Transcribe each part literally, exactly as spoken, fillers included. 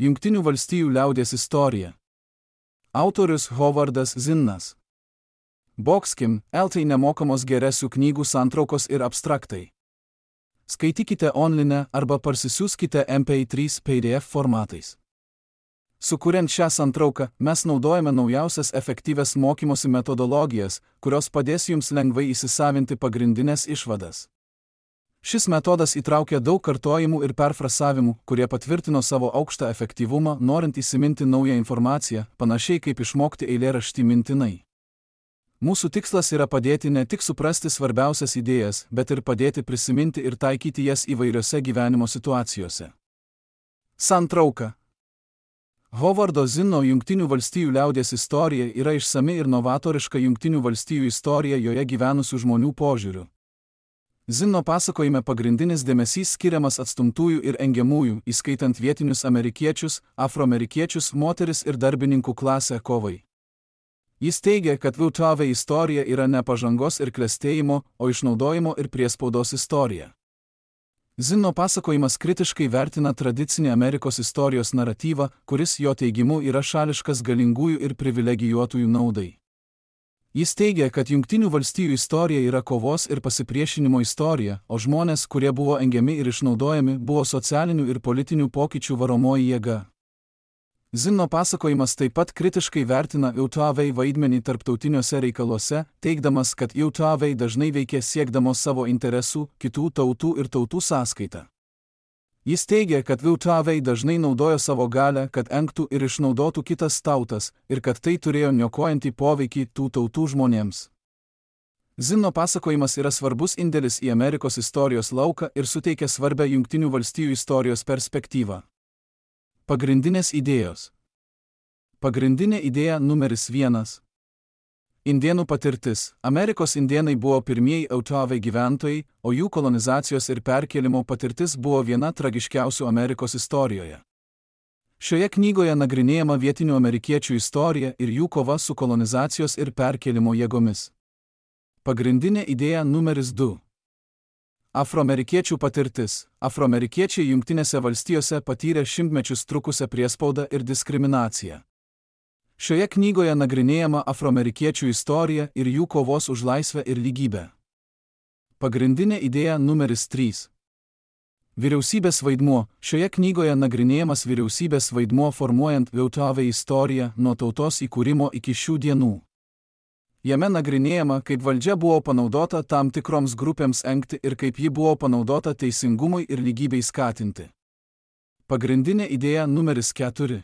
Jungtinių valstijų liaudies istorija. Autorius Hovardas Zinnas. Boxkim, eltai nemokamos geresių knygų santraukos ir abstraktai. Skaitykite online arba parsisiųskite M P trys P D F formatais. Sukuriant šią santrauką, mes naudojame naujausias efektyvias mokymosi metodologijas, kurios padės jums lengvai įsisavinti pagrindinės išvadas. Šis metodas įtraukia daug kartojimų ir perfrasavimų, kurie patvirtino savo aukštą efektyvumą, norint įsiminti naują informaciją, panašiai kaip išmokti eilėraštį mintinai. Mūsų tikslas yra padėti ne tik suprasti svarbiausias idėjas, bet ir padėti prisiminti ir taikyti jas įvairiose gyvenimo situacijose. Santrauka. Hovardo Zinno Jungtinių valstijų liaudies istorija yra išsami ir novatoriška Jungtinių valstijų istorija joje gyvenusių žmonių požiūriu. Zinno pasakojime pagrindinis dėmesys skiriamas atstumtųjų ir engiamųjų, įskaitant vietinius amerikiečius, afroamerikiečius, moteris ir darbininkų klasę kovai. Jis teigia, kad V T V istorija yra ne pažangos ir klestėjimo, o išnaudojimo ir priespaudos istorija. Zinno pasakojimas kritiškai vertina tradicinį Amerikos istorijos naratyvą, kuris jo teigimu yra šališkas galingųjų ir privilegijuotųjų naudai. Jis teigia, kad Jungtinių valstijų istorija yra kovos ir pasipriešinimo istorija, o žmonės, kurie buvo engiami ir išnaudojami, buvo socialinių ir politinių pokyčių varomoji jėga. Zinno pasakojimas taip pat kritiškai vertina V T V vaidmenį tarptautiniuose reikaluose, teigdamas, kad V T V dažnai veikė siekdamos savo interesų, kitų tautų ir tautų sąskaita. Jis teigia, kad V T V dažnai naudojo savo galią, kad engtų ir išnaudotų kitas tautas, ir kad tai turėjo niokojantį poveikį tų tautų žmonėms. Zinno pasakojimas yra svarbus indėlis į Amerikos istorijos lauką ir suteikia svarbią Jungtinių valstijų istorijos perspektyvą. Pagrindinės idėjos. Pagrindinė idėja numeris vienas. Indėnų patirtis. Amerikos indėnai buvo pirmieji V T V gyventojai, o jų kolonizacijos ir perkėlimo patirtis buvo viena tragiškiausių Amerikos istorijoje. Šioje knygoje nagrinėjama vietinių amerikiečių istorija ir jų kova su kolonizacijos ir perkėlimo jėgomis. Pagrindinė idėja numeris du. Afroamerikiečių patirtis. Afroamerikiečiai Jungtinėse valstijose patyrė šimtmečius trukusią priespaudą ir diskriminaciją. Šioje knygoje nagrinėjama afroamerikiečių istorija ir jų kovos už laisvę ir lygybę. Pagrindinė idėja numeris trys. Vyriausybės vaidmuo. Šioje knygoje nagrinėjamas vyriausybės vaidmuo formuojant V T V istoriją nuo tautos įkūrimo iki šių dienų. Jame nagrinėjama, kaip valdžia buvo panaudota tam tikroms grupėms engti ir kaip ji buvo panaudota teisingumui ir lygybei skatinti. Pagrindinė idėja numeris keturi.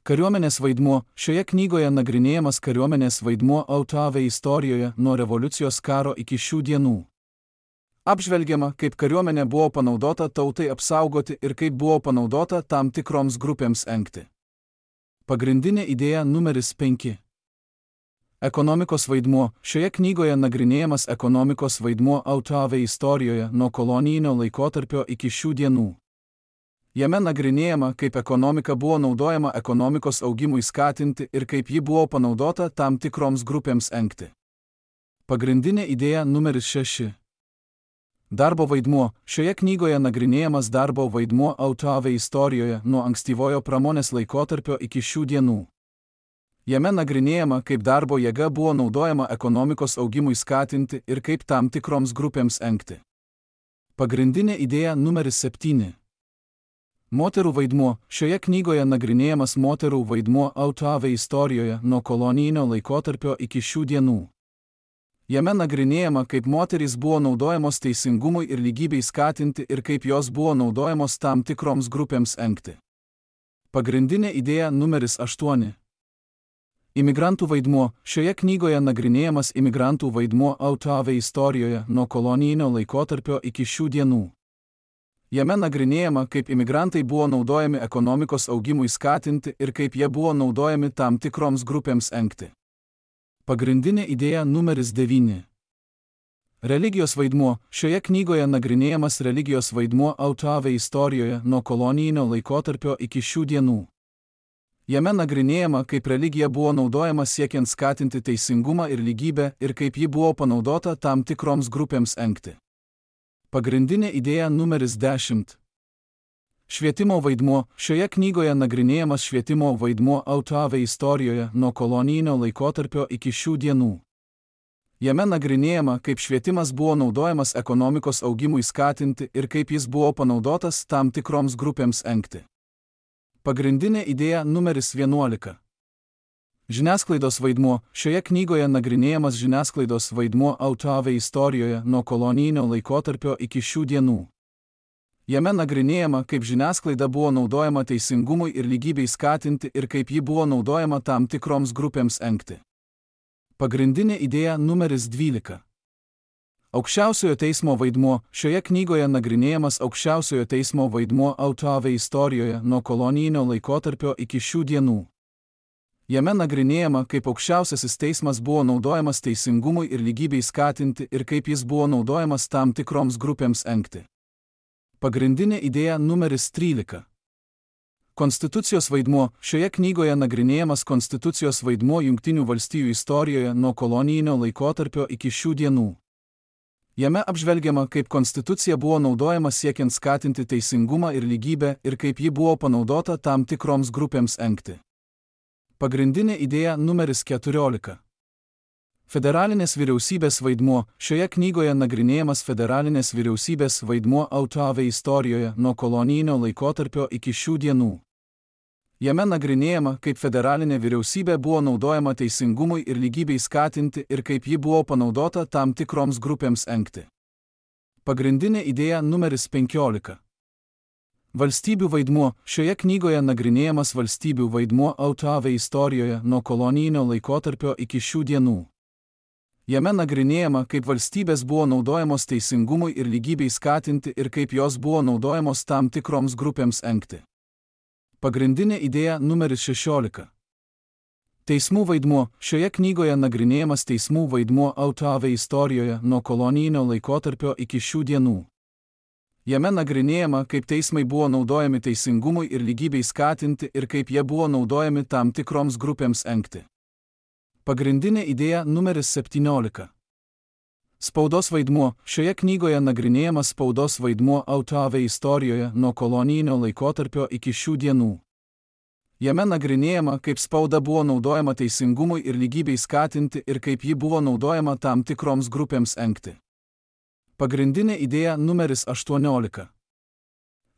Kariuomenės vaidmuo. Šioje knygoje nagrinėjamas kariuomenės vaidmuo V T V istorijoje nuo revoliucijos karo iki šių dienų. Apžvelgiama, kaip kariuomenė buvo panaudota tautai apsaugoti ir kaip buvo panaudota tam tikroms grupėms engti. Pagrindinė idėja numeris penki. Ekonomikos vaidmuo. Šioje knygoje nagrinėjamas ekonomikos vaidmuo V T V istorijoje nuo kolonijinio laikotarpio iki šių dienų. Jame nagrinėjama, kaip ekonomika buvo naudojama ekonomikos augimui skatinti ir kaip ji buvo panaudota tam tikroms grupėms engti. Pagrindinė idėja numeris šeši. Darbo vaidmuo. Šioje knygoje nagrinėjamas darbo vaidmuo V T V istorijoje nuo ankstyvojo pramonės laikotarpio iki šių dienų. Jame nagrinėjama, kaip darbo jėga buvo naudojama ekonomikos augimui skatinti ir kaip tam tikroms grupėms engti. Pagrindinė idėja numeris septyni. Moterų vaidmuo. Šioje knygoje nagrinėjamas moterų vaidmuo V T V istorijoje nuo kolonijinio laikotarpio iki šių dienų. Jame nagrinėjama, kaip moterys buvo naudojamos teisingumui ir lygybei skatinti ir kaip jos buvo naudojamos tam tikroms grupėms engti. Pagrindinė idėja numeris aštuoni. Imigrantų vaidmuo. Šioje knygoje nagrinėjamas imigrantų vaidmuo V T V istorijoje nuo kolonijinio laikotarpio iki šių dienų. Jame nagrinėjama, kaip imigrantai buvo naudojami ekonomikos augimui skatinti ir kaip jie buvo naudojami tam tikroms grupėms engti. Pagrindinė idėja numeris devyni. Religijos vaidmuo. Šioje knygoje nagrinėjamas religijos vaidmuo V T V istorijoje nuo kolonijinio laikotarpio iki šių dienų. Jame nagrinėjama, kaip religija buvo naudojama siekiant skatinti teisingumą ir lygybę ir kaip ji buvo panaudota tam tikroms grupėms engti. Pagrindinė idėja numeris dešimt. Švietimo vaidmuo. Šioje knygoje nagrinėjamas švietimo vaidmuo Autoave istorijoje nuo kolonijinio laikotarpio iki šių dienų. Jame nagrinėjama, kaip švietimas buvo naudojamas ekonomikos augimui skatinti ir kaip jis buvo panaudotas tam tikroms grupėms engti. Pagrindinė idėja numeris vienuolika. Žiniasklaidos vaidmuo. Šioje knygoje nagrinėjamas žiniasklaidos vaidmuo Autoave istorijoje nuo kolonijinio laikotarpio iki šių dienų. Jame nagrinėjama, kaip žiniasklaida buvo naudojama teisingumui ir lygybei skatinti ir kaip ji buvo naudojama tam tikroms grupėms engti. Pagrindinė idėja numeris dvylika. Aukščiausiojo teismo vaidmuo. Šioje knygoje nagrinėjamas aukščiausiojo teismo vaidmuo Autoave istorijoje nuo kolonijinio laikotarpio iki šių dienų. Jame nagrinėjama, kaip aukščiausiasis teismas buvo naudojamas teisingumui ir lygybei skatinti ir kaip jis buvo naudojamas tam tikroms grupėms engti. Pagrindinė idėja numeris trylika. Konstitucijos vaidmuo. Šioje knygoje nagrinėjamas konstitucijos vaidmuo Jungtinių valstijų istorijoje nuo kolonijinio laikotarpio iki šių dienų. Jame apžvelgiama, kaip konstitucija buvo naudojama siekiant skatinti teisingumą ir lygybę ir kaip ji buvo panaudota tam tikroms grupėms engti. Pagrindinė idėja numeris keturiolika. Federalinės vyriausybės vaidmuo. Šioje knygoje nagrinėjamas federalinės vyriausybės vaidmuo Autoave istorijoje nuo kolonijinio laikotarpio iki šių dienų. Jame nagrinėjama, kaip federalinė vyriausybė buvo naudojama teisingumui ir lygybei skatinti ir kaip ji buvo panaudota tam tikroms grupėms engti. Pagrindinė idėja numeris penkiolika. Valstybių vaidmuo. Šioje knygoje nagrinėjamas valstybių vaidmuo Autoave istorijoje nuo kolonijinio laikotarpio iki šių dienų. Jame nagrinėjama, kaip valstybės buvo naudojamos teisingumui ir lygybei skatinti ir kaip jos buvo naudojamos tam tikroms grupėms engti. Pagrindinė idėja numeris šešiolika. Teismų vaidmuo. Šioje knygoje nagrinėjamas teismų vaidmuo Autoave istorijoje nuo kolonijinio laikotarpio iki šių dienų. Jame nagrinėjama, kaip teismai buvo naudojami teisingumui ir lygybei skatinti ir kaip jie buvo naudojami tam tikroms grupėms engti. Pagrindinė idėja numeris septyniolika. Spaudos vaidmuo. Šioje knygoje nagrinėjamas spaudos vaidmuo Autoave istorijoje nuo kolonijinio laikotarpio iki šių dienų. Jame nagrinėjama, kaip spauda buvo naudojama teisingumui ir lygybei skatinti ir kaip ji buvo naudojama tam tikroms grupėms engti. Pagrindinė idėja numeris aštuoniolika.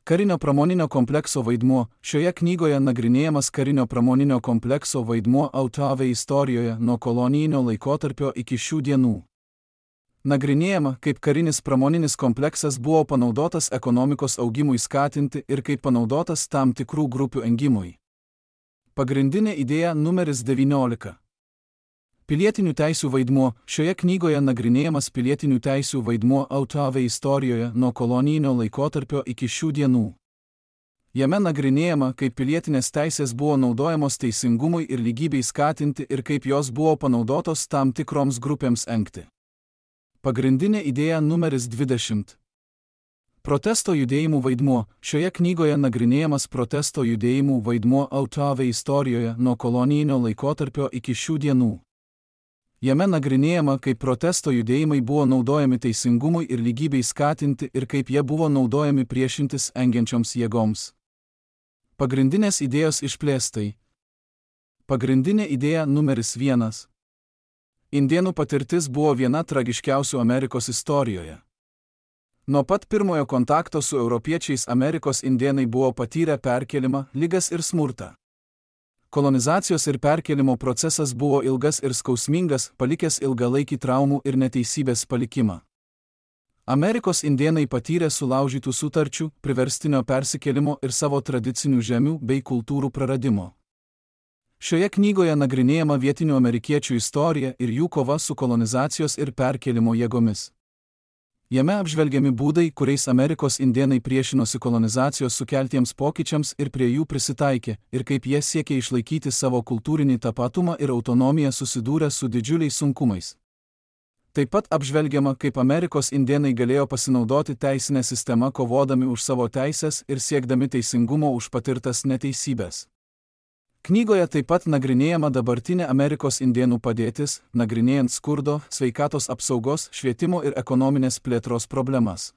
Karinio pramoninio komplekso vaidmuo. Šioje knygoje nagrinėjamas karinio pramoninio komplekso vaidmuo Autoave istorijoje nuo kolonijinio laikotarpio iki šių dienų. Nagrinėjama, kaip karinis pramoninis kompleksas buvo panaudotas ekonomikos augimui skatinti ir kaip panaudotas tam tikrų grupių engimui. Pagrindinė idėja numeris devyniolika. Pilietinių teisių vaidmuo. Šioje knygoje nagrinėjamas pilietinių teisių vaidmuo Autoave istorijoje nuo kolonijinio laikotarpio iki šių dienų. Jame nagrinėjama, kaip pilietinės teisės buvo naudojamos teisingumui ir lygybei skatinti ir kaip jos buvo panaudotos tam tikroms grupėms engti. Pagrindinė idėja numeris dvidešimt. Protesto judėjimų vaidmuo. Šioje knygoje nagrinėjamas protesto judėjimų vaidmuo Autoave istorijoje nuo kolonijinio laikotarpio iki šių dienų. Jame nagrinėjama, kaip protesto judėjimai buvo naudojami teisingumui ir lygybei skatinti ir kaip jie buvo naudojami priešintis engiančioms jėgoms. Pagrindinės idėjos išplėstai. Pagrindinė idėja numeris vienas. Indėnų patirtis buvo viena tragiškiausių Amerikos istorijoje. Nuo pat pirmojo kontakto su europiečiais Amerikos indėnai buvo patyrę perkėlimą, ligas ir smurtą. Kolonizacijos ir perkėlimo procesas buvo ilgas ir skausmingas, palikęs ilgalaikį traumų ir neteisybės palikimą. Amerikos indėnai patyrė sulaužytų sutarčių, priverstinio persikėlimo ir savo tradicinių žemių bei kultūrų praradimo. Šioje knygoje nagrinėjama vietinių amerikiečių istorija ir jų kova su kolonizacijos ir perkėlimo jėgomis. Jame apžvelgiami būdai, kuriais Amerikos indėnai priešinosi kolonizacijos sukeltiems pokyčiams ir prie jų prisitaikė, ir kaip jie siekė išlaikyti savo kultūrinį tapatumą ir autonomiją susidūrę su didžiuliais sunkumais. Taip pat apžvelgiama, kaip Amerikos indėnai galėjo pasinaudoti teisinę sistemą kovodami už savo teisės ir siekdami teisingumo už patirtas neteisybės. Knygoje taip pat nagrinėjama dabartinė Amerikos indėnų padėtis, nagrinėjant skurdo, sveikatos apsaugos, švietimo ir ekonominės plėtros problemas.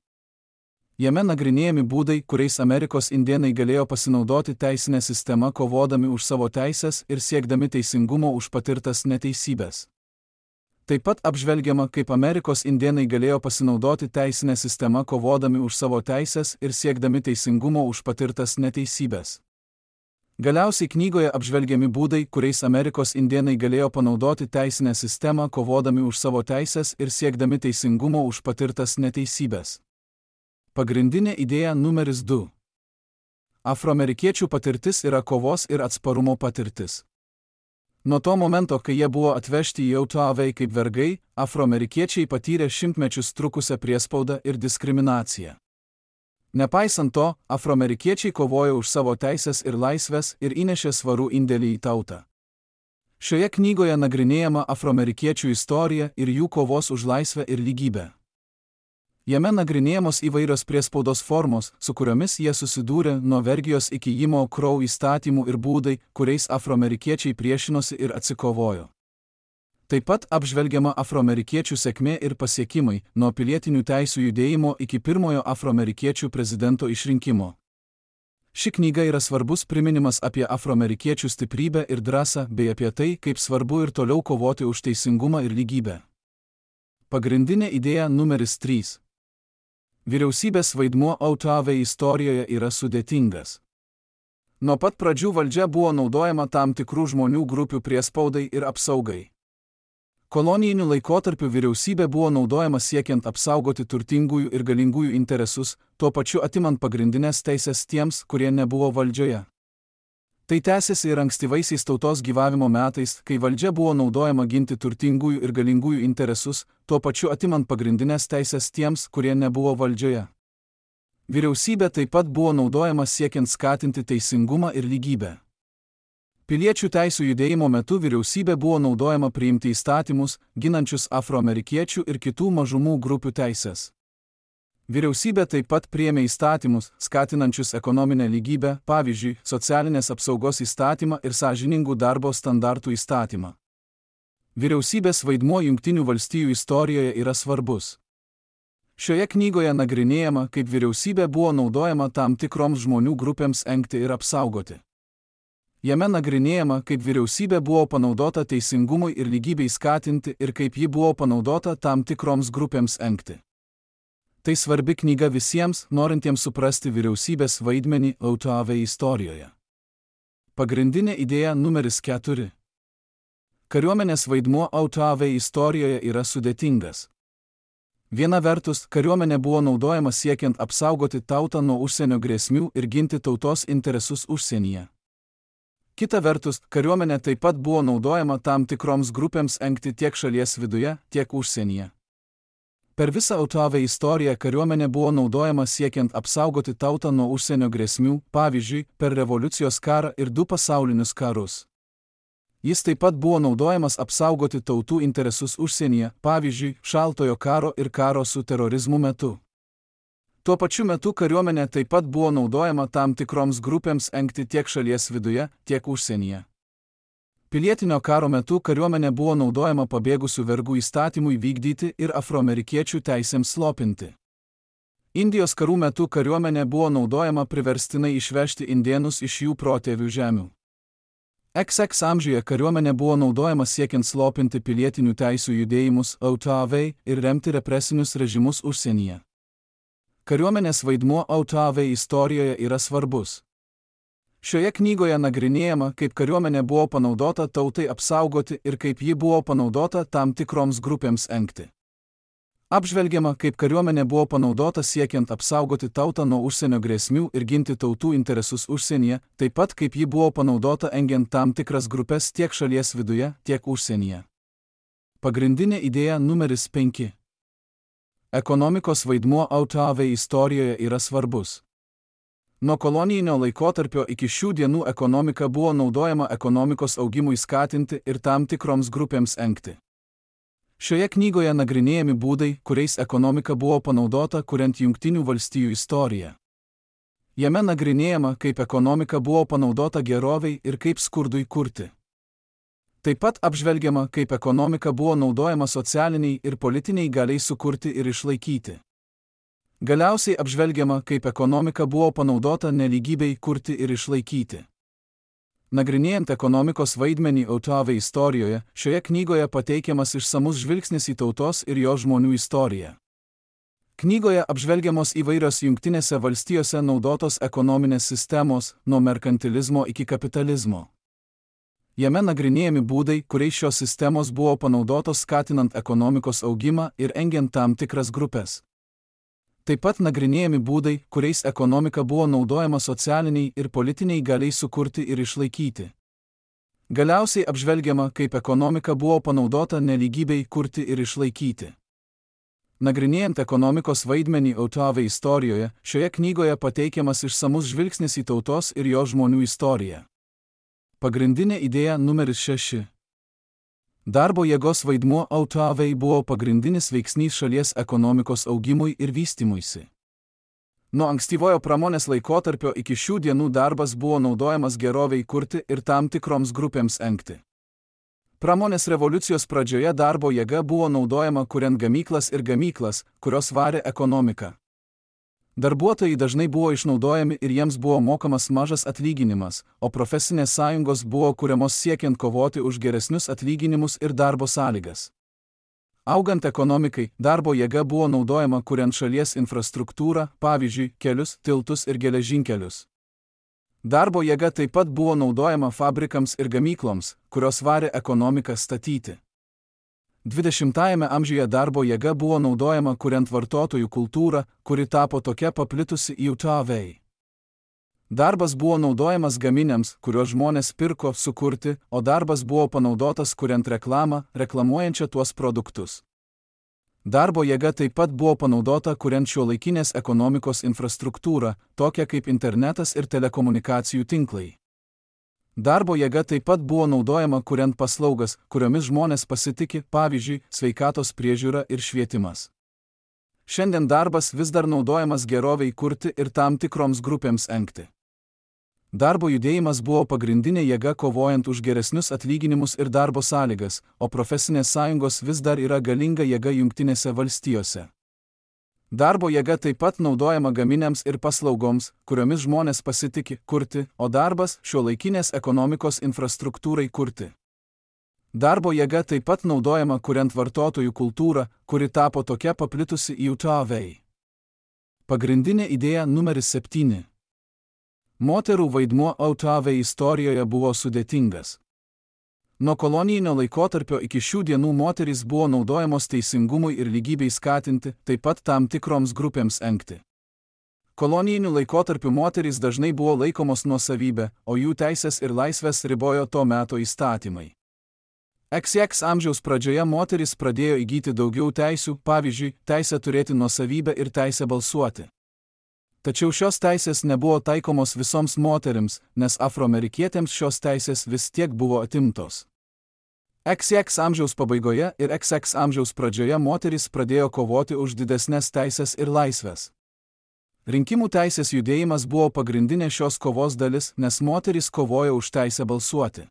Jame nagrinėjami būdai, kuriais Amerikos indėnai galėjo pasinaudoti teisinę sistemą kovodami už savo teises ir siekdami teisingumo už patirtas neteisybės. Taip pat apžvelgiama, kaip Amerikos indėnai galėjo pasinaudoti teisinę sistemą kovodami už savo teises ir siekdami teisingumo už patirtas neteisybės. Galiausiai knygoje apžvelgiami būdai, kuriais Amerikos indėnai galėjo panaudoti teisinę sistemą kovodami už savo teises ir siekdami teisingumo už patirtas neteisybės. Pagrindinė idėja numeris du. Afroamerikiečių patirtis yra kovos ir atsparumo patirtis. Nuo to momento, kai jie buvo atvežti į Utahą kaip vergai, afroamerikiečiai patyrė šimtmečius trukusią priespaudą ir diskriminaciją. Nepaisant to, afroamerikiečiai kovojo už savo teisės ir laisvės ir įnešė svarų indėlį į tautą. Šioje knygoje nagrinėjama afroamerikiečių istorija ir jų kovos už laisvę ir lygybę. Jame nagrinėjamos įvairios priespaudos formos, su kuriomis jie susidūrė nuo vergijos iki Jimo Crow įstatymų ir būdai, kuriais afroamerikiečiai priešinosi ir atsikovojo. Taip pat apžvelgiama afroamerikiečių sėkmė ir pasiekimai, nuo pilietinių teisių judėjimo iki pirmojo afroamerikiečių prezidento išrinkimo. Ši knyga yra svarbus priminimas apie afroamerikiečių stiprybę ir drąsą bei apie tai, kaip svarbu ir toliau kovoti už teisingumą ir lygybę. Pagrindinė idėja numeris trys. Vyriausybės vaidmuo Utahą istorijoje yra sudėtingas. Nuo pat pradžių valdžia buvo naudojama tam tikrų žmonių grupių priespaudai ir apsaugai. Kolonijiniu laikotarpiu vyriausybė buvo naudojama siekiant apsaugoti turtingųjų ir galingųjų interesus, tuo pačiu atimant pagrindinės teisės tiems, kurie nebuvo valdžioje. Tai tęsėsi ir ankstyvaisiais tautos gyvavimo metais, kai valdžia buvo naudojama ginti turtingųjų ir galingųjų interesus, tuo pačiu atimant pagrindinės teisės tiems, kurie nebuvo valdžioje. Vyriausybė taip pat buvo naudojama siekiant skatinti teisingumą ir lygybę. Piliečių teisių judėjimo metu vyriausybė buvo naudojama priimti įstatymus, ginančius afroamerikiečių ir kitų mažumų grupių teisės. Vyriausybė taip pat priėmė įstatymus, skatinančius ekonominę lygybę, pavyzdžiui, socialinės apsaugos įstatymą ir sąžiningų darbo standartų įstatymą. Vyriausybės vaidmuo Jungtinių valstijų istorijoje yra svarbus. Šioje knygoje nagrinėjama, kaip vyriausybė buvo naudojama tam tikroms žmonių grupėms engti ir apsaugoti. Jame nagrinėjama, kaip vyriausybė buvo panaudota teisingumui ir lygybei skatinti ir kaip ji buvo panaudota tam tikroms grupėms engti. Tai svarbi knyga visiems, norintiems suprasti vyriausybės vaidmenį Utahą istorijoje. Pagrindinė idėja numeris keturi. Kariuomenės vaidmuo Utahą istorijoje yra sudėtingas. Viena vertus, kariuomenė buvo naudojama siekiant apsaugoti tautą nuo užsienio grėsmių ir ginti tautos interesus užsienyje. Kita vertus, kariuomenė taip pat buvo naudojama tam tikroms grupėms engti tiek šalies viduje, tiek užsienyje. Per visą Utahą istoriją kariuomenė buvo naudojama siekiant apsaugoti tautą nuo užsienio grėsmių, pavyzdžiui, per revoliucijos karą ir du pasaulinius karus. Jis taip pat buvo naudojamas apsaugoti tautų interesus užsienyje, pavyzdžiui, šaltojo karo ir karo su terorizmu metu. Tuo pačiu metu kariuomenė taip pat buvo naudojama tam tikroms grupėms engti tiek šalies viduje, tiek užsienyje. Pilietinio karo metu kariuomenė buvo naudojama pabėgusių vergų įstatymui vykdyti ir afroamerikiečių teisėms slopinti. Indijos karų metu kariuomenė buvo naudojama priverstinai išvežti indėnus iš jų protėvių žemių. iks iks amžiuje kariuomenė buvo naudojama siekiant slopinti pilietinių teisių judėjimus Utahą ir remti represinius režimus užsienyje. Kariuomenės vaidmuo Utahą istorijoje yra svarbus. Šioje knygoje nagrinėjama, kaip kariuomenė buvo panaudota tautai apsaugoti ir kaip ji buvo panaudota tam tikroms grupėms engti. Apžvelgiama, kaip kariuomenė buvo panaudota siekiant apsaugoti tautą nuo užsienio grėsmių ir ginti tautų interesus užsienyje, taip pat kaip ji buvo panaudota engiant tam tikras grupės tiek šalies viduje, tiek užsienyje. Pagrindinė idėja numeris penki. Ekonomikos vaidmuo Utahą istorijoje yra svarbus. Nuo kolonijinio laikotarpio iki šių dienų ekonomika buvo naudojama ekonomikos augimui skatinti ir tam tikroms grupėms engti. Šioje knygoje nagrinėjami būdai, kuriais ekonomika buvo panaudota kuriant Jungtinių valstijų istoriją. Jame nagrinėjama, kaip ekonomika buvo panaudota gerovei ir kaip skurdui kurti. Taip pat apžvelgiama, kaip ekonomika buvo naudojama socialiniai ir politiniai galiai sukurti ir išlaikyti. Galiausiai apžvelgiama, kaip ekonomika buvo panaudota nelygybei kurti ir išlaikyti. Nagrinėjant ekonomikos vaidmenį Autove istorijoje, šioje knygoje pateikiamas išsamus žvilgsnis į tautos ir jo žmonių istoriją. Knygoje apžvelgiamos įvairios Jungtinėse valstijose naudotos ekonominės sistemos, nuo merkantilizmo iki kapitalizmo. Jame nagrinėjami būdai, kuriais šios sistemos buvo panaudotos skatinant ekonomikos augimą ir engiant tam tikras grupės. Taip pat nagrinėjami būdai, kuriais ekonomika buvo naudojama socialiniai ir politiniai galiai sukurti ir išlaikyti. Galiausiai apžvelgiama, kaip ekonomika buvo panaudota nelygybei kurti ir išlaikyti. Nagrinėjant ekonomikos vaidmenį Autove istorijoje, šioje knygoje pateikiamas išsamus žvilgsnis į tautos ir jo žmonių istoriją. Pagrindinė idėja numeris šeši. Darbo jėgos vaidmuo Autovei buvo pagrindinis veiksnys šalies ekonomikos augimui ir vystymuisi. Nuo ankstyvojo pramonės laikotarpio iki šių dienų darbas buvo naudojamas gerovei kurti ir tam tikroms grupėms engti. Pramonės revoliucijos pradžioje darbo jėga buvo naudojama kuriant gamyklas ir gamyklas, kurios varė ekonomiką. Darbuotojai dažnai buvo išnaudojami ir jiems buvo mokamas mažas atlyginimas, o profesinės sąjungos buvo kuriamos siekiant kovoti už geresnius atlyginimus ir darbo sąlygas. Augant ekonomikai, darbo jėga buvo naudojama kuriant šalies infrastruktūrą, pavyzdžiui, kelius, tiltus ir geležinkelius. Darbo jėga taip pat buvo naudojama fabrikams ir gamykloms, kurios varė ekonomiką statyti. dvidešimtajame amžiuje darbo jėga buvo naudojama kuriant vartotojų kultūrą, kuri tapo tokia paplitusi į Autovei. Darbas buvo naudojamas gaminiams, kuriuos žmonės pirko sukurti, o darbas buvo panaudotas kuriant reklamą, reklamuojančią tuos produktus. Darbo jėga taip pat buvo panaudota kuriant šiuolaikinės ekonomikos infrastruktūrą, tokią kaip internetas ir telekomunikacijų tinklai. Darbo jėga taip pat buvo naudojama kuriant paslaugas, kuriomis žmonės pasitiki, pavyzdžiui, sveikatos priežiūra ir švietimas. Šiandien darbas vis dar naudojamas gerovei kurti ir tam tikroms grupėms engti. Darbo judėjimas buvo pagrindinė jėga kovojant už geresnius atlyginimus ir darbo sąlygas, o profesinės sąjungos vis dar yra galinga jėga Jungtinėse valstijose. Darbo jėga taip pat naudojama gaminiams ir paslaugoms, kuriomis žmonės pasitiki kurti, o darbas šiuolaikinės ekonomikos infrastruktūrai kurti. Darbo jėga taip pat naudojama kuriant vartotojų kultūrą, kuri tapo tokia paplitusi į Autovei. Pagrindinė idėja numeris septyni. Moterų vaidmuo Autovei istorijoje buvo sudėtingas. Nuo kolonijinio laikotarpio iki šių dienų moterys buvo naudojamos teisingumui ir lygybei skatinti, taip pat tam tikroms grupėms engti. Kolonijiniu laikotarpiu moterys dažnai buvo laikomos nuosavybė, o jų teisės ir laisvės ribojo to meto įstatymai. iks iks amžiaus pradžioje moterys pradėjo įgyti daugiau teisių, pavyzdžiui, teisę turėti nuosavybę ir teisę balsuoti. Tačiau šios teisės nebuvo taikomos visoms moterims, nes afroamerikietėms šios teisės vis tiek buvo atimtos. iks iks amžiaus pabaigoje ir iks iks amžiaus pradžioje moterys pradėjo kovoti už didesnes teisės ir laisvės. Rinkimų teisės judėjimas buvo pagrindinė šios kovos dalis, nes moterys kovojo už teisę balsuoti.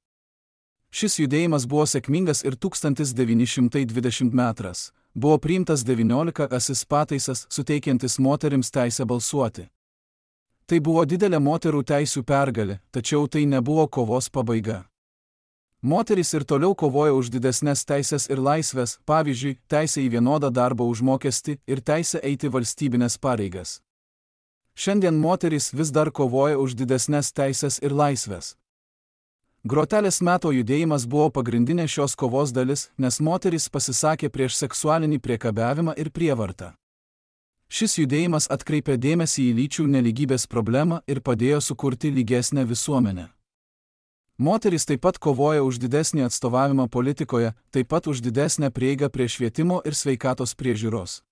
Šis judėjimas buvo sėkmingas ir tūkstantis devyni šimtai dvidešimtaisiais metais buvo priimtas devyniolikasis pataisas, suteikiantis moterims teisę balsuoti. Tai buvo didelė moterų teisių pergalė, tačiau tai nebuvo kovos pabaiga. Moterys ir toliau kovojo už didesnes teisės ir laisvės, pavyzdžiui, teisę į vienodą darbo užmokestį ir teisę eiti valstybinės pareigas. Šiandien moterys vis dar kovoja už didesnes teisės ir laisvės. Grotelės meto judėjimas buvo pagrindinė šios kovos dalis, nes moterys pasisakė prieš seksualinį priekabiavimą ir prievartą. Šis judėjimas atkreipė dėmesį į lyčių nelygybės problemą ir padėjo sukurti lygesnę visuomenę. Moterys taip pat kovoja už didesnį atstovavimą politikoje, taip pat už didesnę prieigą prie švietimo ir sveikatos priežiūros.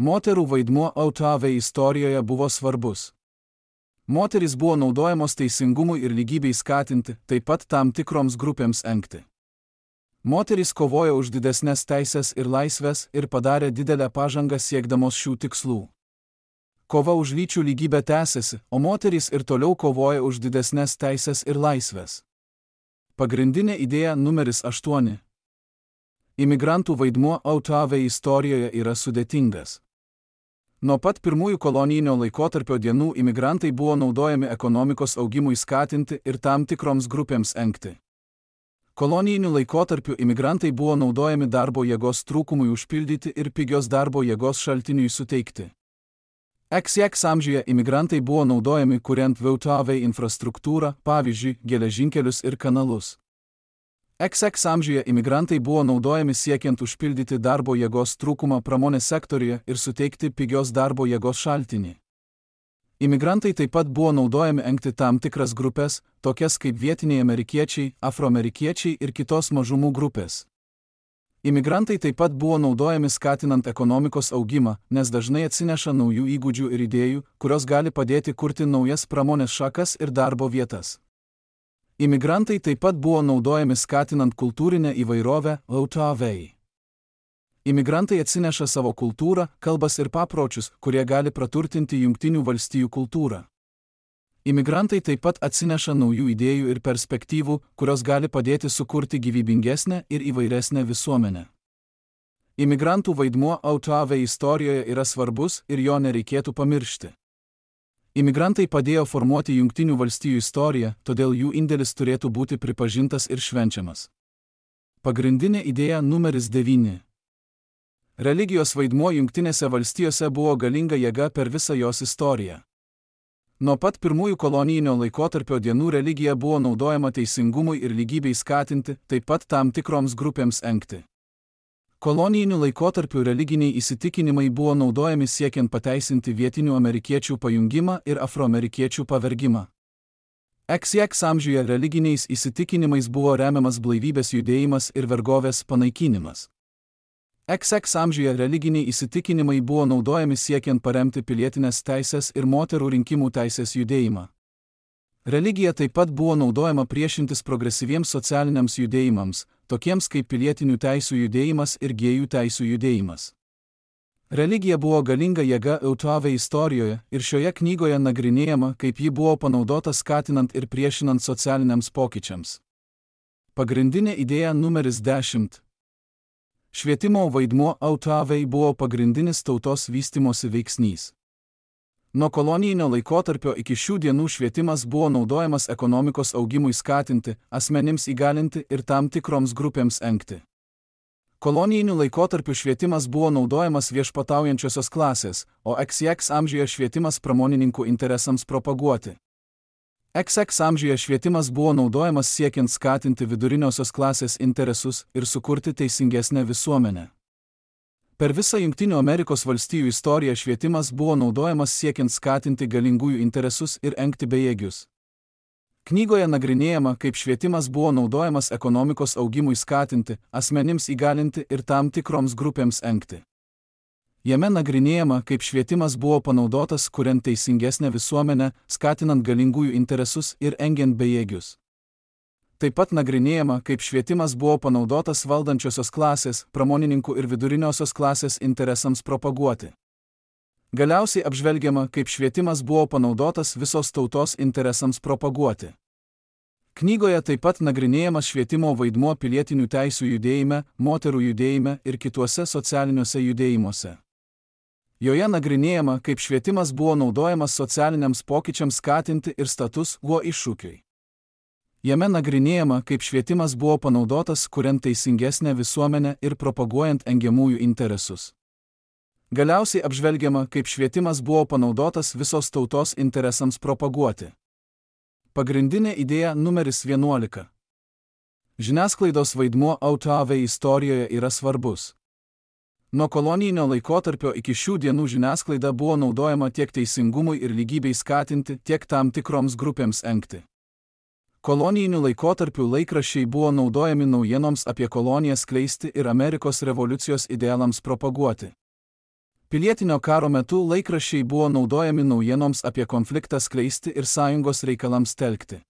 Moterų vaidmuo Autovei istorijoje buvo svarbus. Moterys buvo naudojamos teisingumui ir lygybei skatinti, taip pat tam tikroms grupėms engti. Moterys kovojo už didesnes teisės ir laisvės ir padarė didelę pažangą siekdamos šių tikslų. Kova už lyčių lygybę tęsiasi, o moterys ir toliau kovoja už didesnes teisės ir laisvės. Pagrindinė idėja numeris aštuoni. Imigrantų vaidmuo Autovei istorijoje yra sudėtingas. Nuo pat pirmųjų kolonijinio laikotarpio dienų imigrantai buvo naudojami ekonomikos augimui skatinti ir tam tikroms grupėms engti. Kolonijiniu laikotarpiu imigrantai buvo naudojami darbo jėgos trūkumui užpildyti ir pigios darbo jėgos šaltiniui suteikti. iks iks amžiuje imigrantai buvo naudojami kuriant V T V infrastruktūrą, pavyzdžiui, geležinkelius ir kanalus. iks iks amžiuje imigrantai buvo naudojami siekiant užpildyti darbo jėgos trūkumą pramonės sektoriuje ir suteikti pigios darbo jėgos šaltinį. Imigrantai taip pat buvo naudojami engti tam tikras grupės, tokias kaip vietiniai amerikiečiai, afroamerikiečiai ir kitos mažumų grupės. Imigrantai taip pat buvo naudojami skatinant ekonomikos augimą, nes dažnai atsineša naujų įgūdžių ir idėjų, kurios gali padėti kurti naujas pramonės šakas ir darbo vietas. Imigrantai taip pat buvo naudojami skatinant kultūrinę įvairovę V T V. Imigrantai atsineša savo kultūrą, kalbas ir papročius, kurie gali praturtinti Jungtinių valstijų kultūrą. Imigrantai taip pat atsineša naujų idėjų ir perspektyvų, kurios gali padėti sukurti gyvybingesnę ir įvairesnę visuomenę. Imigrantų vaidmuo V T V istorijoje yra svarbus ir jo nereikėtų pamiršti. Imigrantai padėjo formuoti Jungtinių valstijų istoriją, todėl jų indėlis turėtų būti pripažintas ir švenčiamas. Pagrindinė idėja numeris devyni. Religijos vaidmuo Jungtinėse valstijose buvo galinga jėga per visą jos istoriją. Nuo pat pirmųjų kolonijinio laikotarpio dienų religija buvo naudojama teisingumui ir lygybei skatinti, taip pat tam tikroms grupėms engti. Kolonijiniu laikotarpiu religiniai įsitikinimai buvo naudojami siekiant pateisinti vietinių amerikiečių pajungimą ir afroamerikiečių pavergimą. iks iks amžiuje religiniais įsitikinimais buvo remiamas blaivybės judėjimas ir vergovės panaikinimas. iks iks amžiuje religiniai įsitikinimai buvo naudojami siekiant paremti pilietinės teisės ir moterų rinkimų teisės judėjimą. Religija taip pat buvo naudojama priešintis progresyviems socialiniams judėjimams, tokiems kaip pilietinių teisų judėjimas ir gėjų teisų judėjimas. Religija buvo galinga jėga V T V istorijoje ir šioje knygoje nagrinėjama, kaip ji buvo panaudota skatinant ir priešinant socialiniams pokyčiams. Pagrindinė idėja numeris dešimt. Švietimo vaidmuo V T V buvo pagrindinis tautos vystymosi veiksnys. Nuo kolonijinio laikotarpio iki šių dienų švietimas buvo naudojamas ekonomikos augimui skatinti, asmenims įgalinti ir tam tikroms grupėms engti. Kolonijiniu laikotarpiu švietimas buvo naudojamas viešpataujančiosios klasės, o iks iks amžiuje švietimas pramonininkų interesams propaguoti. iks iks amžiuje švietimas buvo naudojamas siekiant skatinti viduriniosios klasės interesus ir sukurti teisingesnę visuomenę. Per visą Jungtinių Amerikos valstijų istoriją švietimas buvo naudojamas siekiant skatinti galingųjų interesus ir engti bejėgius. Knygoje nagrinėjama, kaip švietimas buvo naudojamas ekonomikos augimui skatinti, asmenims įgalinti ir tam tikroms grupėms engti. Jame nagrinėjama, kaip švietimas buvo panaudotas kuriant teisingesnę visuomenę, skatinant galingųjų interesus ir engiant bejėgius. Taip pat nagrinėjama, kaip švietimas buvo panaudotas valdančiosios klasės, pramonininkų ir viduriniosios klasės interesams propaguoti. Galiausiai apžvelgiama, kaip švietimas buvo panaudotas visos tautos interesams propaguoti. Knygoje taip pat nagrinėjamas švietimo vaidmuo pilietinių teisų judėjime, moterų judėjime ir kituose socialiniuose judėjimuose. Joje nagrinėjama, kaip švietimas buvo naudojamas socialiniams pokyčiams skatinti ir status quo iššūkiui. Jame nagrinėjama, kaip švietimas buvo panaudotas kuriant teisingesnę visuomenę ir propaguojant engiamųjų interesus. Galiausiai apžvelgiama, kaip švietimas buvo panaudotas visos tautos interesams propaguoti. Pagrindinė idėja numeris vienuolika. Žiniasklaidos vaidmuo V T V istorijoje yra svarbus. Nuo kolonijinio laikotarpio iki šių dienų žiniasklaida buvo naudojama tiek teisingumui ir lygybei skatinti, tiek tam tikroms grupėms engti. Kolonijiniu laikotarpiu laikraščiai buvo naudojami naujienoms apie koloniją skleisti ir Amerikos revoliucijos idealams propaguoti. Pilietinio karo metu laikraščiai buvo naudojami naujienoms apie konfliktą skleisti ir sąjungos reikalams telkti.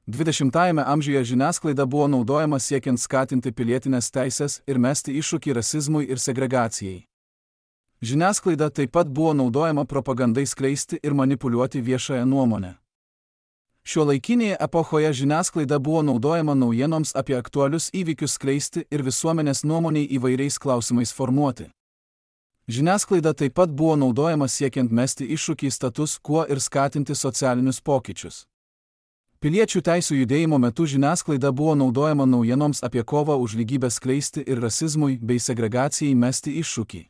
dvidešimtajame amžiuje žiniasklaida buvo naudojama siekiant skatinti pilietinės teisės ir mesti iššūkį rasizmui ir segregacijai. Žiniasklaida taip pat buvo naudojama propagandai skleisti ir manipuliuoti viešąją nuomonę. Šiuolaikinėje epochoje žiniasklaida buvo naudojama naujienoms apie aktualius įvykius skleisti ir visuomenės nuomoniai įvairiais klausimais formuoti. Žiniasklaida taip pat buvo naudojama siekiant mesti iššūkį status quo ir skatinti socialinius pokyčius. Piliečių teisų judėjimo metu žiniasklaida buvo naudojama naujienoms apie kovą už lygybę skleisti ir rasizmui bei segregacijai mesti iššūkį.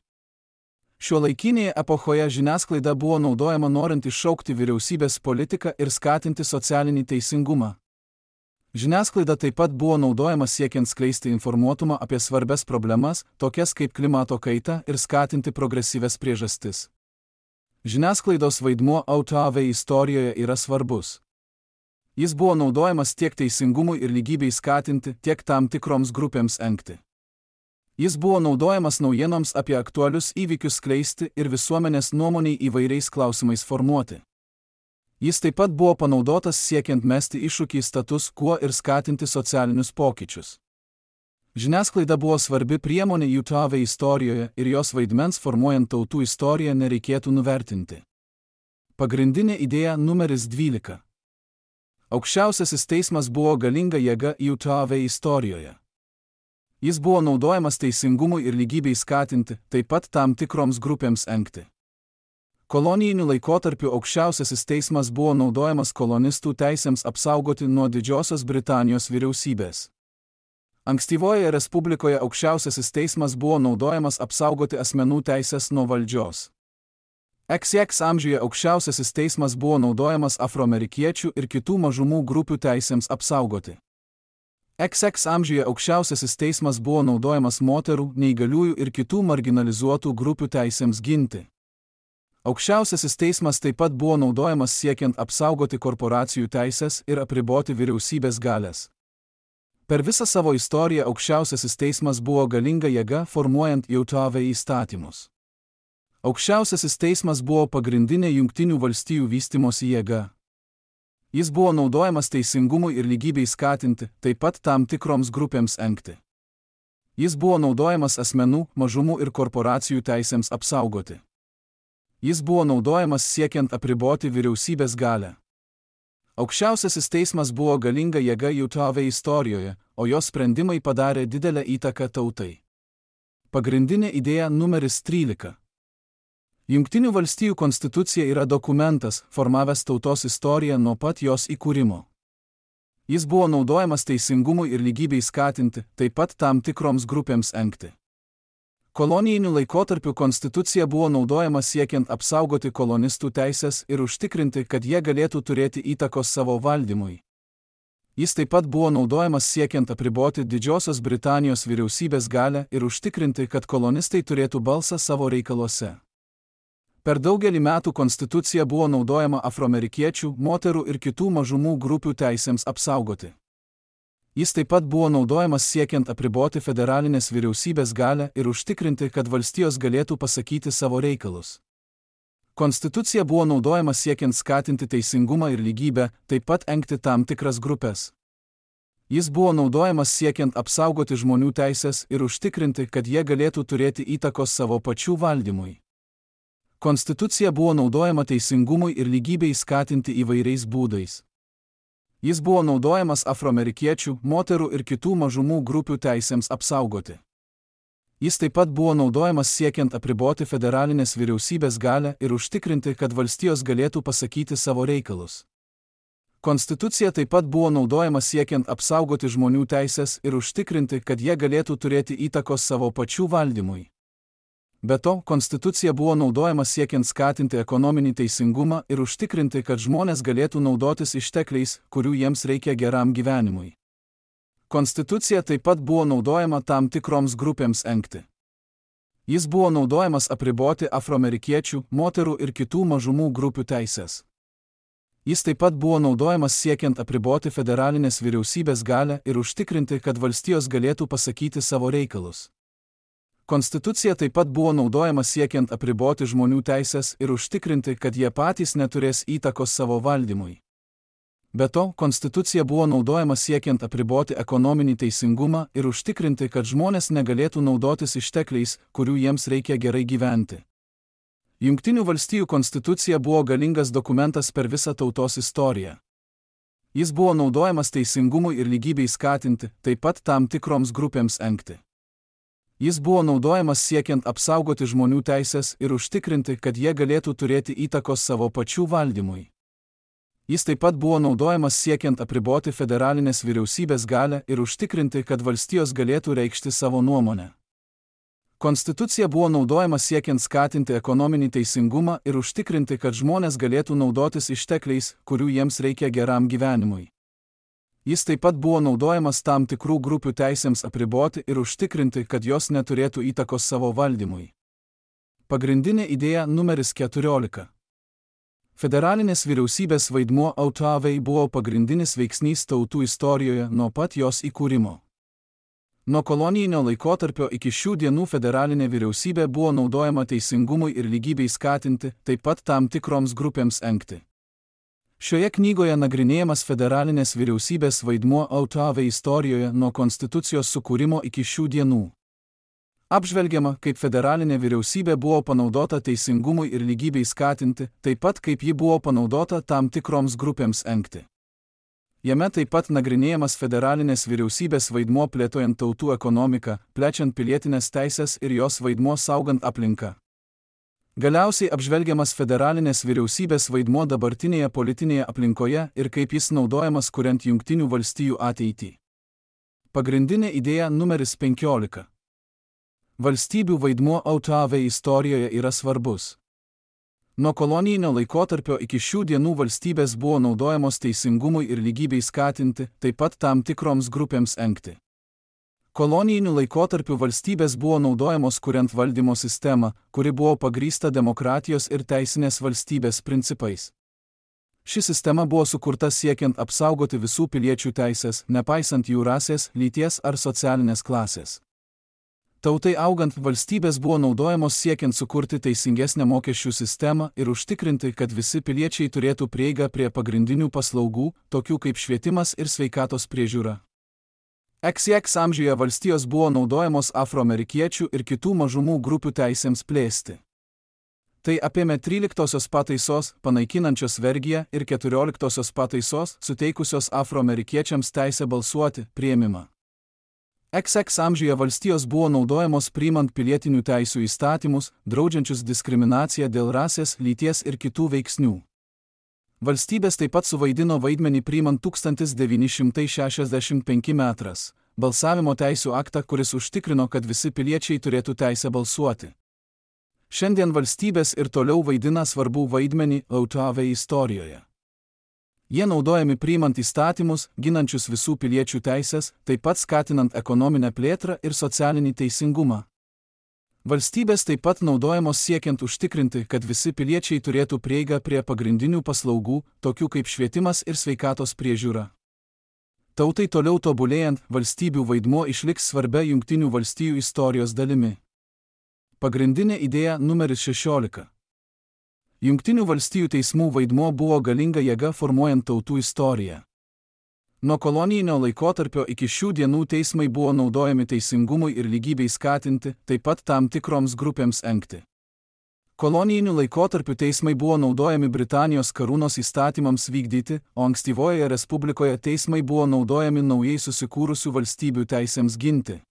Šiuolaikinėje epochoje žiniasklaida buvo naudojama norint iššaukti vyriausybės politiką ir skatinti socialinį teisingumą. Žiniasklaida taip pat buvo naudojama siekiant skleisti informuotumą apie svarbias problemas, tokias kaip klimato kaita, ir skatinti progresyvias priežastis. Žiniasklaidos vaidmuo O T V istorijoje yra svarbus. Jis buvo naudojamas tiek teisingumui ir lygybei skatinti, tiek tam tikroms grupėms engti. Jis buvo naudojamas naujienoms apie aktualius įvykius skleisti ir visuomenės nuomoniai įvairiais klausimais formuoti. Jis taip pat buvo panaudotas siekiant mesti iššūkį status quo ir skatinti socialinius pokyčius. Žiniasklaida buvo svarbi priemonė U T V istorijoje ir jos vaidmens formuojant tautų istoriją nereikėtų nuvertinti. Pagrindinė idėja numeris dvylika. Aukščiausiasis teismas buvo galinga jėga U T V istorijoje. Jis buvo naudojamas teisingumui ir lygybei skatinti, taip pat tam tikroms grupėms engti. Kolonijiniu laikotarpiu aukščiausiasis teismas buvo naudojamas kolonistų teisėms apsaugoti nuo Didžiosios Britanijos vyriausybės. Ankstyvojoje Respublikoje aukščiausiasis teismas buvo naudojamas apsaugoti asmenų teisės nuo valdžios. X X amžiuje aukščiausiasis teismas buvo naudojamas afroamerikiečių ir kitų mažumų grupių teisėms apsaugoti. X X amžiuje aukščiausiasis teismas buvo naudojamas moterų, neįgaliųjų ir kitų marginalizuotų grupių teisėms ginti. Aukščiausiasis teismas taip pat buvo naudojamas siekiant apsaugoti korporacijų teisės ir apriboti vyriausybės galės. Per visą savo istoriją aukščiausiasis teismas buvo galinga jėga formuojant U T V įstatymus. Aukščiausiasis teismas buvo pagrindinė Jungtinių valstijų vystymosi jėga. Jis buvo naudojamas teisingumui ir lygybei skatinti, taip pat tam tikroms grupėms engti. Jis buvo naudojamas asmenų, mažumų ir korporacijų teisėms apsaugoti. Jis buvo naudojamas siekiant apriboti vyriausybės galę. Aukščiausiasis teismas buvo galinga jėga U T V istorijoje, o jos sprendimai padarė didelę įtaką tautai. Pagrindinė idėja numeris trylika. Jungtinių valstijų konstitucija yra dokumentas, formavęs tautos istoriją nuo pat jos įkūrimo. Jis buvo naudojamas teisingumui ir lygybei skatinti, taip pat tam tikroms grupėms engti. Kolonijiniu laikotarpiu konstitucija buvo naudojama siekiant apsaugoti kolonistų teisės ir užtikrinti, kad jie galėtų turėti įtakos savo valdymui. Jis taip pat buvo naudojamas siekiant apriboti Didžiosios Britanijos vyriausybės galę ir užtikrinti, kad kolonistai turėtų balsą savo reikaluose. Per daugelį metų konstitucija buvo naudojama afroamerikiečių, moterų ir kitų mažumų grupių teisėms apsaugoti. Jis taip pat buvo naudojamas siekiant apriboti federalinės vyriausybės galę ir užtikrinti, kad valstijos galėtų pasakyti savo reikalus. Konstitucija buvo naudojama siekiant skatinti teisingumą ir lygybę, taip pat engti tam tikras grupės. Jis buvo naudojamas siekiant apsaugoti žmonių teisės ir užtikrinti, kad jie galėtų turėti įtakos savo pačių valdymui. Konstitucija buvo naudojama teisingumui ir lygybei skatinti įvairiais būdais. Jis buvo naudojamas afroamerikiečių, moterų ir kitų mažumų grupių teisėms apsaugoti. Jis taip pat buvo naudojamas siekiant apriboti federalinės vyriausybės galę ir užtikrinti, kad valstijos galėtų pasakyti savo reikalus. Konstitucija taip pat buvo naudojama siekiant apsaugoti žmonių teisės ir užtikrinti, kad jie galėtų turėti įtakos savo pačių valdymui. Be to, konstitucija buvo naudojama siekiant skatinti ekonominį teisingumą ir užtikrinti, kad žmonės galėtų naudotis ištekliais, kurių jiems reikia geram gyvenimui. Konstitucija taip pat buvo naudojama tam tikroms grupėms engti. Jis buvo naudojamas apriboti afroamerikiečių, moterų ir kitų mažumų grupių teisės. Jis taip pat buvo naudojamas siekiant apriboti federalinės vyriausybės galę ir užtikrinti, kad valstijos galėtų pasakyti savo reikalus. Konstitucija taip pat buvo naudojama siekiant apriboti žmonių teisės ir užtikrinti, kad jie patys neturės įtakos savo valdymui. Be to, konstitucija buvo naudojama siekiant apriboti ekonominį teisingumą ir užtikrinti, kad žmonės negalėtų naudotis ištekliais, kurių jiems reikia gerai gyventi. Jungtinių valstijų konstitucija buvo galingas dokumentas per visą tautos istoriją. Jis buvo naudojamas teisingumui ir lygybei skatinti, taip pat tam tikroms grupėms engti. Jis buvo naudojamas siekiant apsaugoti žmonių teisės ir užtikrinti, kad jie galėtų turėti įtakos savo pačių valdymui. Jis taip pat buvo naudojamas siekiant apriboti federalinės vyriausybės galią ir užtikrinti, kad valstijos galėtų reikšti savo nuomonę. Konstitucija buvo naudojama siekiant skatinti ekonominį teisingumą ir užtikrinti, kad žmonės galėtų naudotis ištekliais, kurių jiems reikia geram gyvenimui. Jis taip pat buvo naudojamas tam tikrų grupių teisėms apriboti ir užtikrinti, kad jos neturėtų įtakos savo valdymui. Pagrindinė idėja numeris keturiolika. Federalinės vyriausybės vaidmuo autoavei buvo pagrindinis veiksnys tautų istorijoje nuo pat jos įkūrimo. Nuo kolonijinio laikotarpio iki šių dienų federalinė vyriausybė buvo naudojama teisingumui ir lygybei skatinti, taip pat tam tikroms grupėms engti. Šioje knygoje nagrinėjamas federalinės vyriausybės vaidmuo autoavei istorijoje nuo konstitucijos sukūrimo iki šių dienų. Apžvelgiama, kaip federalinė vyriausybė buvo panaudota teisingumui ir lygybei skatinti, taip pat kaip ji buvo panaudota tam tikroms grupėms engti. Jame taip pat nagrinėjamas federalinės vyriausybės vaidmuo plėtojant tautų ekonomiką, plečiant pilietinės teisės ir jos vaidmuo saugant aplinką. Galiausiai apžvelgiamas federalinės vyriausybės vaidmuo dabartinėje politinėje aplinkoje ir kaip jis naudojamas kuriant Jungtinių valstijų ateitį. Pagrindinė idėja numeris penkiolika. Valstybių vaidmuo autoavei istorijoje yra svarbus. Nuo kolonijinio laikotarpio iki šių dienų valstybės buvo naudojamos teisingumui ir lygybei skatinti, taip pat tam tikroms grupėms engti. Kolonijiniu laikotarpiu valstybės buvo naudojamos kuriant valdymo sistemą, kuri buvo pagrįsta demokratijos ir teisinės valstybės principais. Ši sistema buvo sukurta siekiant apsaugoti visų piliečių teisės, nepaisant jų rasės, lyties ar socialinės klasės. Tautai augant, valstybės buvo naudojamos siekiant sukurti teisingesnę mokesčių sistemą ir užtikrinti, kad visi piliečiai turėtų prieigą prie pagrindinių paslaugų, tokių kaip švietimas ir sveikatos priežiūra. X X amžiuje valstijos buvo naudojamos afroamerikiečių ir kitų mažumų grupių teisėms plėsti. Tai apėmė tryliktosios pataisos, panaikinančios vergiją, ir keturioliktosios pataisos, suteikusios afroamerikiečiams teisę balsuoti, priėmimą. X X amžiuje valstijos buvo naudojamos priimant pilietinių teisių įstatymus, draudžiančius diskriminaciją dėl rasės, lyties ir kitų veiksnių. Valstybės taip pat suvaidino vaidmenį priimant tūkstantis devyni šimtai šešiasdešimt penki metras balsavimo teisių aktą, kuris užtikrino, kad visi piliečiai turėtų teisę balsuoti. Šiandien valstybės ir toliau vaidina svarbų vaidmenį autoavei istorijoje. Jie naudojami priimant įstatymus, ginančius visų piliečių teisės, taip pat skatinant ekonominę plėtrą ir socialinį teisingumą. Valstybės taip pat naudojamos siekiant užtikrinti, kad visi piliečiai turėtų prieigą prie pagrindinių paslaugų, tokių kaip švietimas ir sveikatos priežiūra. Tautai toliau tobulėjant, valstybių vaidmuo išliks svarbia Jungtinių valstijų istorijos dalimi. Pagrindinė idėja numeris šešiolika. Jungtinių valstijų teismų vaidmuo buvo galinga jėga formuojant tautų istoriją. Nuo kolonijinio laikotarpio iki šių dienų teismai buvo naudojami teisingumui ir lygybei skatinti, taip pat tam tikroms grupėms engti. Kolonijiniu laikotarpiu teismai buvo naudojami Britanijos karūnos įstatymams vykdyti, o ankstyvojoje respublikoje teismai buvo naudojami naujai susikūrusių valstybių teisėms ginti.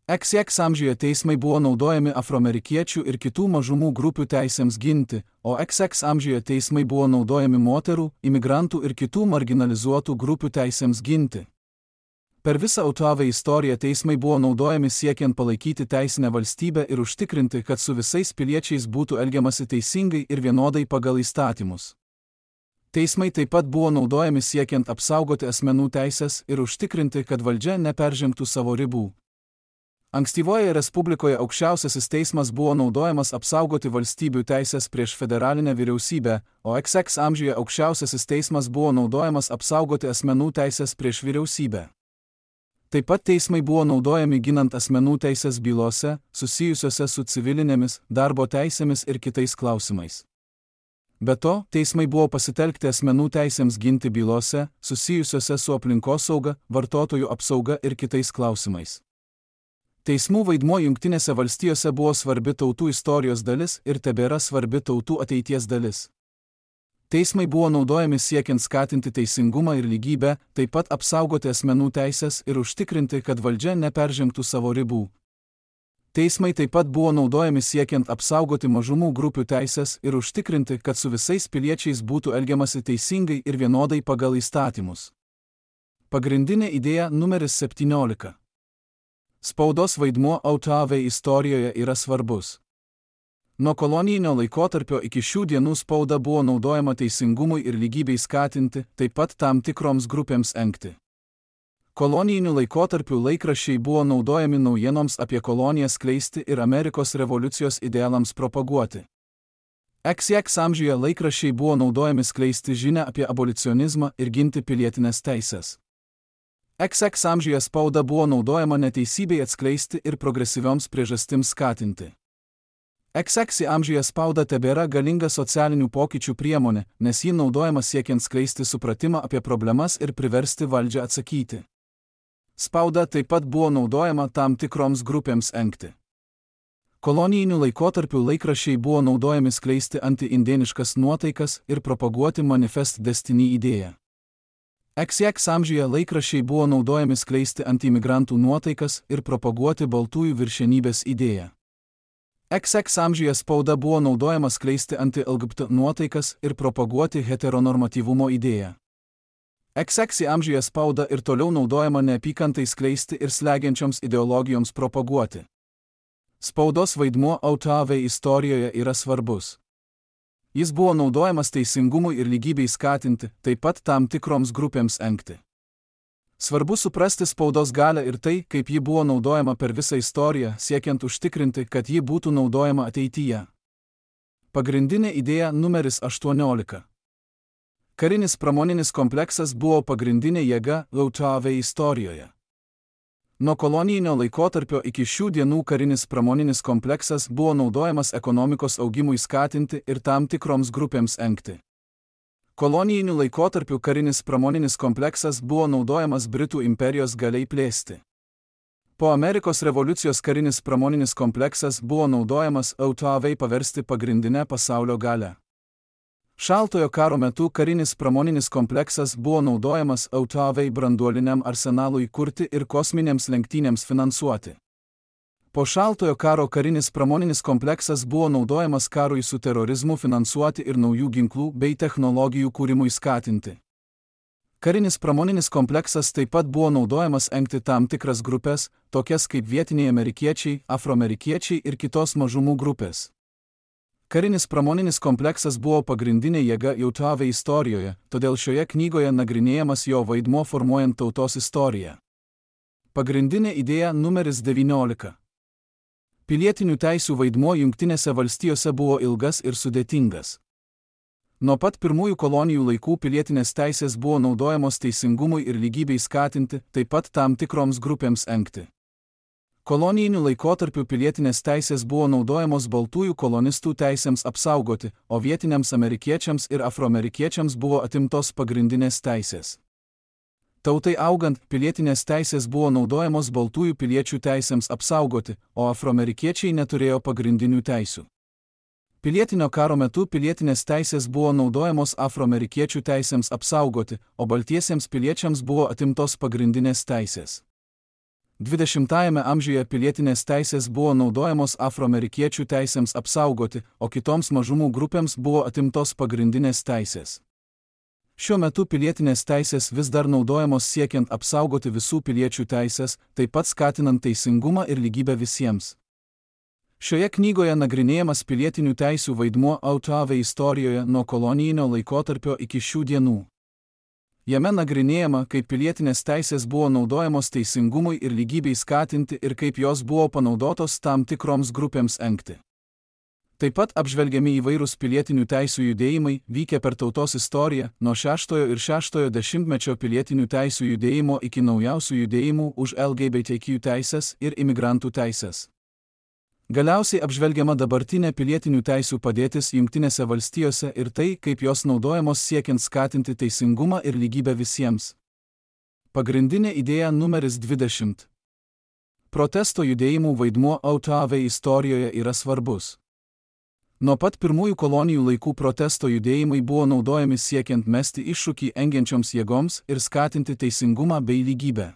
X X amžiuje teismai buvo naudojami afroamerikiečių ir kitų mažumų grupių teisėms ginti, o X X amžiuje teismai buvo naudojami moterų, imigrantų ir kitų marginalizuotų grupių teisėms ginti. Per visą autoavei istoriją teismai buvo naudojami siekiant palaikyti teisinę valstybę ir užtikrinti, kad su visais piliečiais būtų elgiamasi teisingai ir vienodai pagal įstatymus. Teismai taip pat buvo naudojami siekiant apsaugoti asmenų teisės ir užtikrinti, kad valdžia neperžengtų savo ribų. Ankstyvoje respublikoje aukščiausiasis teismas buvo naudojamas apsaugoti valstybių teisės prieš federalinę vyriausybę, o X X amžiuje aukščiausiasis teismas buvo naudojamas apsaugoti asmenų teisės prieš vyriausybę. Taip pat teismai buvo naudojami ginant asmenų teisės bylose, susijusiose su civilinėmis, darbo teisėmis ir kitais klausimais. Be to, teismai buvo pasitelkti asmenų teisėms ginti bylose, susijusiose su aplinkosauga, vartotojų apsauga ir kitais klausimais. Teismų vaidmuo Jungtinėse valstijose buvo svarbi tautų istorijos dalis ir tebėra svarbi tautų ateities dalis. Teismai buvo naudojami siekiant skatinti teisingumą ir lygybę, taip pat apsaugoti asmenų teisės ir užtikrinti, kad valdžia neperžengtų savo ribų. Teismai taip pat buvo naudojami siekiant apsaugoti mažumų grupių teisės ir užtikrinti, kad su visais piliečiais būtų elgiamasi teisingai ir vienodai pagal įstatymus. Pagrindinė idėja numeris septyniolika. Spaudos vaidmuo autoave istorijoje yra svarbus. Nuo kolonijinio laikotarpio iki šių dienų spauda buvo naudojama teisingumui ir lygybei skatinti, taip pat tam tikroms grupėms engti. Kolonijinių laikotarpių laikraščiai buvo naudojami naujienoms apie kolonijas skleisti ir Amerikos revoliucijos idealams propaguoti. iks iks amžiuje laikraščiai buvo naudojami skleisti žinią apie abolicionizmą ir ginti pilietinės teisės. iks iks amžiuje spauda buvo naudojama neteisybei atskleisti ir progresyvioms priežastims skatinti. iks iks amžiuje spauda tebėra galinga socialinių pokyčių priemonė, nes ji naudojama siekiant skleisti supratimą apie problemas ir priversti valdžią atsakyti. Spauda taip pat buvo naudojama tam tikroms grupėms engti. Kolonijinių laikotarpių laikraščiai buvo naudojami skleisti anti-indėniškas nuotaikas ir propaguoti Manifest Destiny idėją. iks iks amžiuje laikraščiai buvo naudojami skleisti anti-imigrantų nuotaikas ir propaguoti baltųjų viršenybės idėją. iks iks amžiuje spauda buvo naudojama skleisti anti-el gie be te nuotaikas ir propaguoti heteronormatyvumo idėją. iks iks amžiuje spauda ir toliau naudojama neapykantai skleisti ir slegiančioms ideologijoms propaguoti. Spaudos vaidmuo autoave istorijoje yra svarbus. Jis buvo naudojamas teisingumui ir lygybei skatinti, taip pat tam tikroms grupėms engti. Svarbu suprasti spaudos galią ir tai, kaip ji buvo naudojama per visą istoriją, siekiant užtikrinti, kad ji būtų naudojama ateityje. Pagrindinė idėja numeris aštuoniolika. Karinis pramoninis kompleksas buvo pagrindinė jėga autoave istorijoje. Nuo kolonijinio laikotarpio iki šių dienų karinis pramoninis kompleksas buvo naudojamas ekonomikos augimui skatinti ir tam tikroms grupėms engti. Kolonijinių laikotarpių karinis pramoninis kompleksas buvo naudojamas Britų imperijos galiai plėsti. Po Amerikos revoliucijos karinis pramoninis kompleksas buvo naudojamas autoavei paversti pagrindinę pasaulio galią. Šaltojo karo metu karinis pramoninis kompleksas buvo naudojamas autoavei branduoliniam arsenalui kurti ir kosminėms lenktynėms finansuoti. Po Šaltojo karo karinis pramoninis kompleksas buvo naudojamas karui su terorizmu finansuoti ir naujų ginklų bei technologijų kūrimui skatinti. Karinis pramoninis kompleksas taip pat buvo naudojamas engti tam tikras grupės, tokias kaip vietiniai amerikiečiai, afroamerikiečiai ir kitos mažumų grupės. Karinis pramoninis kompleksas buvo pagrindinė jėga autoave istorijoje, todėl šioje knygoje nagrinėjamas jo vaidmuo formuojant tautos istoriją. Pagrindinė idėja numeris devyniolika. Pilietinių teisių vaidmuo Jungtinėse valstijose buvo ilgas ir sudėtingas. Nuo pat pirmųjų kolonijų laikų pilietinės teisės buvo naudojamos teisingumui ir lygybei skatinti, taip pat tam tikroms grupėms engti. Kolonijinių laikotarpių pilietinės teisės buvo naudojamos baltųjų kolonistų teisėms apsaugoti, o vietiniams amerikiečiams ir afroamerikiečiams buvo atimtos pagrindinės teisės. Tautai augant, pilietinės teisės buvo naudojamos baltųjų piliečių teisėms apsaugoti, o afroamerikiečiai neturėjo pagrindinių teisių. Pilietinio karo metu pilietinės teisės buvo naudojamos afroamerikiečių teisėms apsaugoti, o baltiesiems piliečiams buvo atimtos pagrindinės teisės. dvidešimtajame amžiuje pilietinės teisės buvo naudojamos afroamerikiečių teisėms apsaugoti, o kitoms mažumų grupėms buvo atimtos pagrindinės teisės. Šiuo metu pilietinės teisės vis dar naudojamos siekiant apsaugoti visų piliečių teisės, taip pat skatinant teisingumą ir lygybę visiems. Šioje knygoje nagrinėjamas pilietinių teisių vaidmuo autoave istorijoje nuo kolonijinio laikotarpio iki šių dienų. Jame nagrinėjama, kaip pilietinės teisės buvo naudojamos teisingumui ir lygybei skatinti ir kaip jos buvo panaudotos tam tikroms grupėms engti. Taip pat apžvelgiami įvairūs pilietinių teisių judėjimai, vykę per tautos istoriją, nuo šeštojo ir šeštojo dešimtmečio pilietinių teisių judėjimo iki naujausių judėjimų už el gie be te kiu teisės ir imigrantų teisės. Galiausiai apžvelgiama dabartinė pilietinių teisių padėtis Jungtinėse valstijose ir tai, kaip jos naudojamos siekiant skatinti teisingumą ir lygybę visiems. Pagrindinė idėja numeris dvidešimt. Protesto judėjimų vaidmuo autoave istorijoje yra svarbus. Nuo pat pirmųjų kolonijų laikų protesto judėjimai buvo naudojami siekiant mesti iššūkį engiančioms jėgoms ir skatinti teisingumą bei lygybę.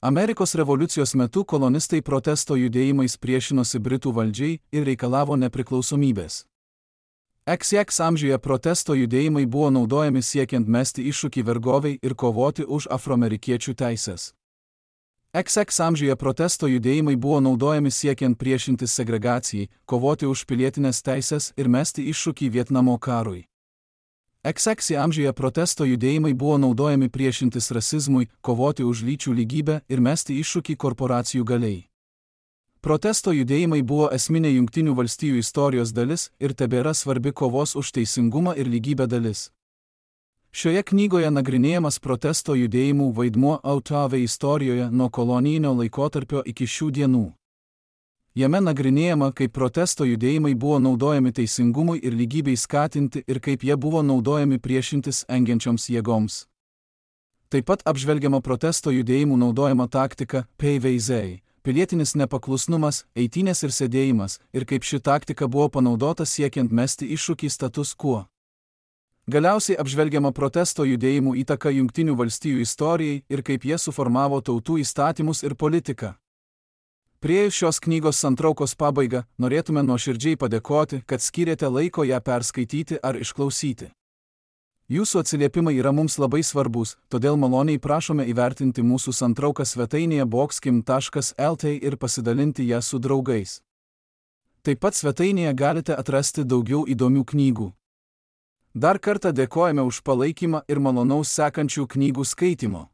Amerikos revoliucijos metu kolonistai protesto judėjimais priešinosi Britų valdžiai ir reikalavo nepriklausomybės. iks iks amžiuje protesto judėjimai buvo naudojami siekiant mesti iššūkį vergoviai ir kovoti už afroamerikiečių teisės. iks iks amžiuje protesto judėjimai buvo naudojami siekiant priešintis segregacijai, kovoti už pilietinės teisės ir mesti iššūkį Vietnamo karui. iks iks amžiuje protesto judėjimai buvo naudojami priešintis rasizmui, kovoti už lyčių lygybę ir mesti iššūkį korporacijų galiai. Protesto judėjimai buvo esminė Jungtinių valstijų istorijos dalis ir tebėra svarbi kovos už teisingumą ir lygybę dalis. Šioje knygoje nagrinėjamas protesto judėjimų vaidmuo autove istorijoje nuo kolonijinio laikotarpio iki šių dienų. Jame nagrinėjama, kaip protesto judėjimai buvo naudojami teisingumui ir lygybei skatinti ir kaip jie buvo naudojami priešintis engiančioms jėgoms. Taip pat apžvelgiama protesto judėjimų naudojama taktika peiveizei, pilietinis nepaklusnumas, eitynės ir sėdėjimas, ir kaip ši taktika buvo panaudota siekiant mesti iššūkį status quo. Galiausiai apžvelgiama protesto judėjimų įtaka Jungtinių valstijų istorijai ir kaip jie suformavo tautų įstatymus ir politiką. Priėjus šios knygos santraukos pabaigą, norėtume nuoširdžiai padėkoti, kad skyrėte laiko ją perskaityti ar išklausyti. Jūsų atsiliepimai yra mums labai svarbus, todėl maloniai prašome įvertinti mūsų santrauką svetainėje boxkim taškas lt ir pasidalinti ją su draugais. Taip pat svetainėje galite atrasti daugiau įdomių knygų. Dar kartą dėkojame už palaikymą ir malonaus sekančių knygų skaitimo.